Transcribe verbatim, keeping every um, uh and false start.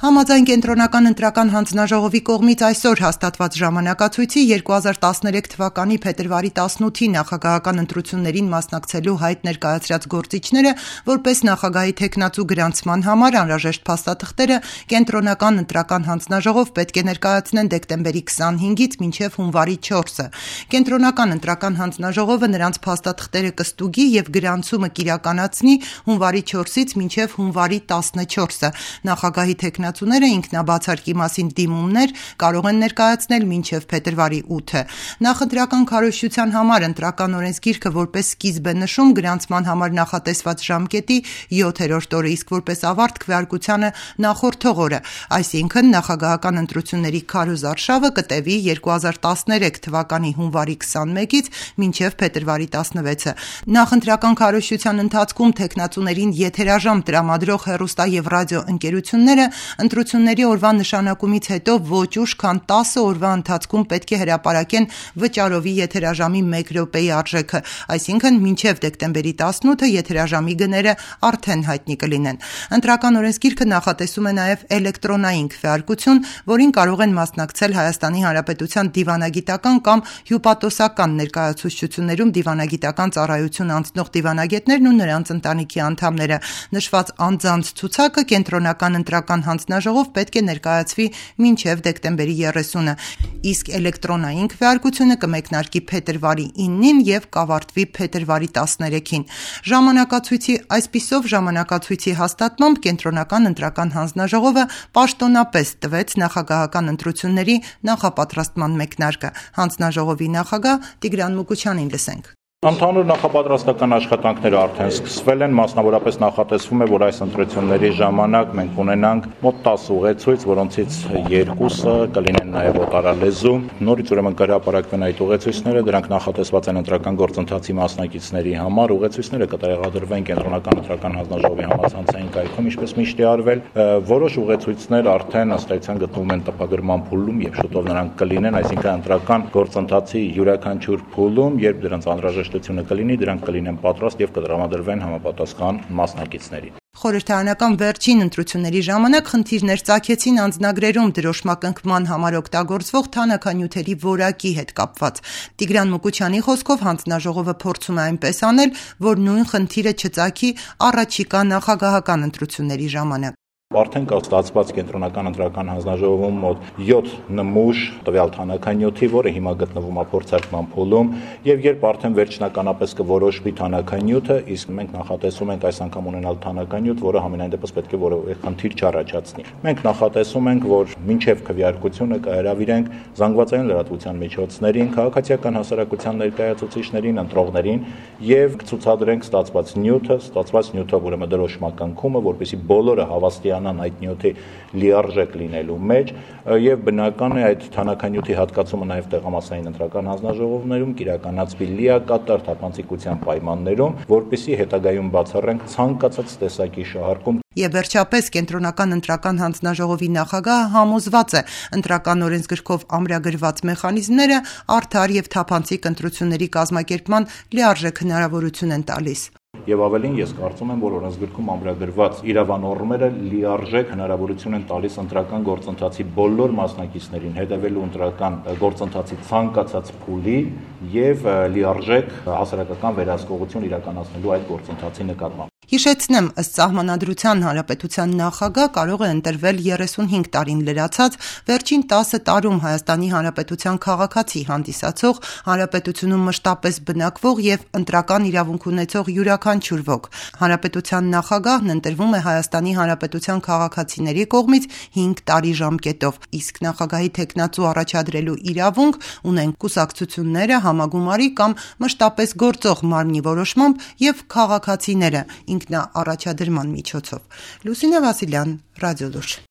Համաձայն կենտրոնական ընտրական հանձնաժողովի կողմից այսօր հաստատված ժամանակացույցի երկու հազար տասներեք թվականի փետրվարի տասնութի նախագահական ընտրություններին մասնակցելու հայտ ներկայացրած գործիչները որպես նախագահի թեկնածու գրանցման համար անհրաժեշտ փաստաթղթերը կենտրոնական ընտրական հանձնաժողով պետք է ներկայացնեն դեկտեմբերի քսանհինգից մինչև հունվարի չորսը։ Կենտրոնական ընտրական հանձնաժողովը նրանց փաստաթղթերը կստուգի եւ գրանցումը կիրականացնի հունվարի չորսից մինչև հունվարի տասնչորսը։ Նախագահի թեկնածու ինքնաբացարկի մասին դիմումներ կարող են ներկայացնել մինչև փետրվարի ութը։ Նախընտրական քարոզչության համար ընտրական օրենսգիրքը որպես սկիզբ է նշում գրանցման համար նախատեսված ժամկետի յոթերորդ օրը, իսկ որպես ավարտ քվեարկությանը նախորդող օրը, այսինքն նախագահական ընտրությունների քարոզարշավը կտևի երկու հազար տասներեք թվականի հունվարի քսանմեկից մինչև փետրվարի տասնվեցը։ Նախընտրական քարոզչության ընթացքում թեկնածուներին եթերաժամ տրամադրող հեռուստա եւ ռադիո ընկերությունները ընտրությունների օրվա նշանակումից հետո ոչ ուշ քան տասը օրվա ընթացքում պետք է հրապարակեն վճարովի եթերաժամի մեկ րոպեի արժեքը, այսինքն մինչև դեկտեմբերի տասնութը եթերաժամի գները արդեն հայտնի կլինեն։ Ընտրական օրենսգիրքը նախատեսում է նաև էլեկտրոնային քվեարկություն, որին կարող են մասնակցել Հայաստանի Հանրապետության դիվանագիտական կամ հյուպատոսական ներկայացուցչություններում դիվանագիտական ծառայություն անցնող դիվանագետներն ու նրանց ընտանիքի անդամները։ Նշված անձանց ցուցակը կենտրոնական ընտրական հանձնաժողով պետք է ներկայացվի մինչև դեկտեմբերի երեսունը, իսկ էլեկտրոնային քվեարկությունը կմեկնարկի փետրվարի իննին եւ կավարտվի փետրվարի տասներեքին։ Ժամանակացույցի այսպիսով ժամանակացույցի հաստատմամբ կենտրոնական ընտրական հանձնաժողովը պաշտոնապես տվեց նախագահական ընտրությունների նախապատրաստման մեկնարկը։ Հանձնաժողովի նախագահ Տիգրան Մուկուչյանին լսենք։ Ընդհանուր նախապատրաստական աշխատանքները արդեն սկսվել են, մասնավորապես նախատեսվում է, որ այս ընտրությունների ժամանակ մենք ունենանք մոտ տասը ուղեցույց, որոնցից երկուսը կլինեն նաև օտարալեզու։ Նորից ուրեմն կհրապարակվեն այդ ուղեցույցները, դրանք նախատեսված են ընտրական գործընթացի մասնակիցների համար։ Ուղեցույցները կտեղադրվեն կենտրոնական ընտրական հանձնաժողովի համացանցային կայքում, ինչպես միշտ է արվել։ Որոշ ուղեցույցներ արդեն ըստ էության գտնվում են տպագրման փուլում եւ շուտով նրանք կլինեն, այսինքն ընտրական գործընթացի յուրաքանչյուր փուլում, երբ դրանց անհրաժեշտ կլինի, դրանք կլինեն պատրաստ եւ կտրամադրվեն համապատասխան մասնակիցներին։ Խորհրդարանական վերջին ընտրությունների ժամանակ խնդիրներ ծագեցին անձնագրերում դրոշմակնքման համար օգտագործվող թանաքանյութերի որակի հետ կապված։ Տիգրան Մուկուչյանի խոսքով հանձնաժողովը փորձում է այնպես անել, որ նույն խնդիրը չծագի առաջիկա նախագահական ընտրությունների ժամանակ։ Արդեն կա ստացված կենտրոնական ընտրական հանձնաժողովում մոտ յոթ նմուշ տվյալ թանաքանյութի, որը հիմա գտնվում է փորձարկման փուլում, եւ երբ արդեն վերջնականապես կորոշվի թանաքանյութը, իսկ մենք նախատեսում ենք այս անգամ ունենալ թանաքանյութ, որը համենայն դեպս պետք է որևէ խնդիր չառաջացնի։ Մենք նախատեսում ենք, որ մինչև քվեարկությունը կհրավիրենք զանգվածային լրատվության միջոցներին, քաղաքացիական հասարակության ներկայացուցիչներին, ընտրողներին եւ կցուցադրենք ստացված նյութը, ստացված նյութով ուրեմն դրոշմակնքումը, որպեսզի բոլորը հավաստիանան այդ նյութի լիարժեք լինելու մեջ եւ բնական է այդ թանաքանյութի հատկացումը նաեւ տեղամասային ընտրական հանձնաժողովներում կիրականացվի լիակատար թափանցիկության պայմաններում, որպեսզի հետագայում բացառենք ցանկացած տեսակի շահարկում։ Եվ վերջապես կենտրոնական ընտրական հանձնաժողովի նախագահը համոզված է ընտրական օրենսգրքով ամրագրված մեխանիզմները արդար եւ թափանցիկ ընտրությունների կազմակերպման լիարժեք հնարավորություն են տալիս։ Եվ ավելին ես կարծում եմ, որ օրենսգրքում ամրագրված իրավանորմերը լիարժեք հնարավորություն են տալիս ընտրական գործընթացի բոլոր մասնակիցներին հետևելու ընտրական գործընթացի ցանկացած փուլի եւ լիարժեք հասարակական վերահսկողություն իրականացնելու այդ գործընթացի նկատմամբ։ Հիշեցնեմ, ըստ Սահմանադրության Հանրապետության նախագահ կարող է ընտրվել երեսունհինգ տարին լրացած, վերջին տասը տարում Հայաստանի Հանրապետության քաղաքացի հանդիսացող, հանրապետությունում մշտապես բնակվող եւ ընտրական իրավունք ունեցող յուրաքանչյուր ոք։ Հանրապետության նախագահն ընտրվում է Հայաստանի Հանրապետության քաղաքացիների կողմից հինգ տարի ժամկետով, իսկ նախագահի թեկնածու առաջադրելու իրավունք ունեն կուսակցությունները, համագումարի կամ մշտապես գործող մարմնի որոշմամբ եւ քաղաքացիները ինքնաառաջադրման միջոցով։ Լուսինե Վասիլյան, Ռադիոլուր։